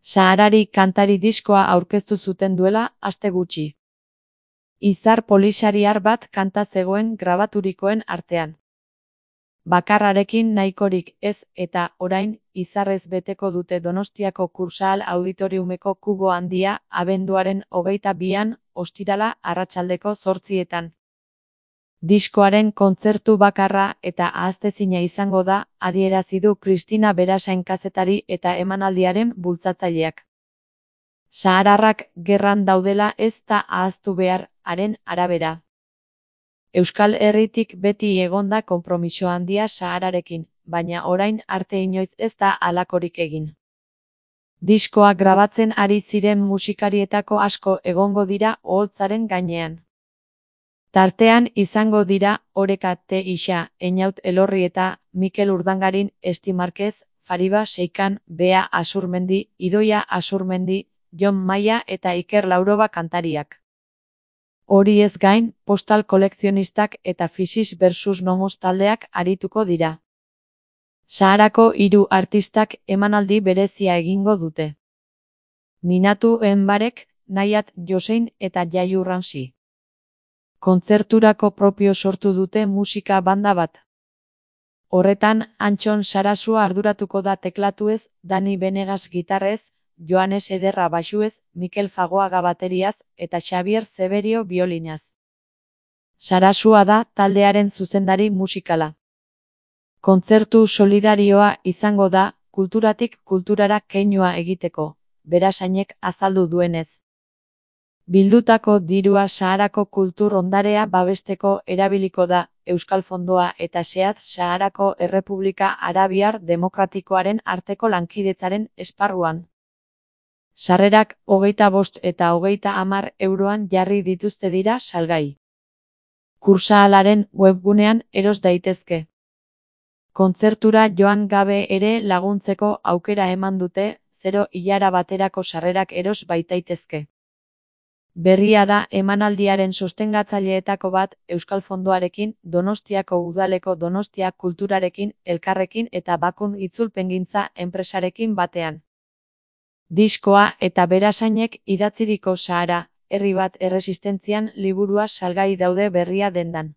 Saharari kantari diskoa aurkeztu zuten duela aste gutxi. Izar polisariar bat kanta zegoen grabaturikoen artean. Bakarrarekin nahikorik ez eta orain izarrez beteko dute Donostiako Kursaal Auditoriumeko kubo handia abenduaren 22an ostirala arratsaldeko 8etan. Diskoaren kontzertu bakarra eta ahaztezina izango da, adierazi du Kristina Berasain kazetari eta emanaldiaren bultzatzaileak. Sahararrak gerran daudela ez da ahaztu behar, haren arabera. Euskal Herritik beti egonda konpromiso handia Sahararekin, baina orain arte inoiz ez da halakorik egin. Diskoa grabatzen ari ziren musikarietako asko egongo dira oholtzaren gainean. Tartean izango dira Oreka T. Ixa, Einaut Elorri eta Mikel Urdangarin, Esti Marquez, Fariba Seikan, Bea Asurmendi, Idoia Asurmendi, Jon Maia eta Iker Lauroba kantariak. Hori ez gain, Postal kolekzionistak eta Fisis versus Nomos taldeak arituko dira. Saharako 3 artistak emanaldi berezia egingo dute. Minatu Enbarek, Naiat Josein eta Jaiu Ramsi. Kontzerturako propio sortu dute musika banda bat. Horretan, Antxon Sarasua arduratuko da teklatuez, Dani Benegas gitarrez, Joanes Ederra baxuez, Mikel Fagoaga bateriaz eta Xabier Zeberio biolinaz. Sarasua da taldearen zuzendari musikala. Kontzertu solidarioa izango da, kulturatik kulturara keinua egiteko, Berasainek azaldu duenez. Bildutako dirua Saharako kultur ondarea babesteko erabiliko da, Euskal Fondoa eta Seat Saharako Errepublika Arabiar Demokratikoaren arteko lankidetzaren esparruan. Sarrerak 25 eta 30 euroan jarri dituzte dira salgai. Kursaalaren webgunean eros daitezke. Kontzertura joan gabe ere laguntzeko aukera eman dute, 0 ilara baterako sarrerak eros baitaitezke. Berria da emanaldiaren sostengatzaileetako bat Euskal Fondoarekin, Donostiako Udaleko Donostia Kulturarekin, Elkarrekin eta Bakun Itzulpengintza enpresarekin batean. Diskoa eta Berasainek idatziriko Sahara, herri bat erresistentzian liburua salgai daude berria dendan.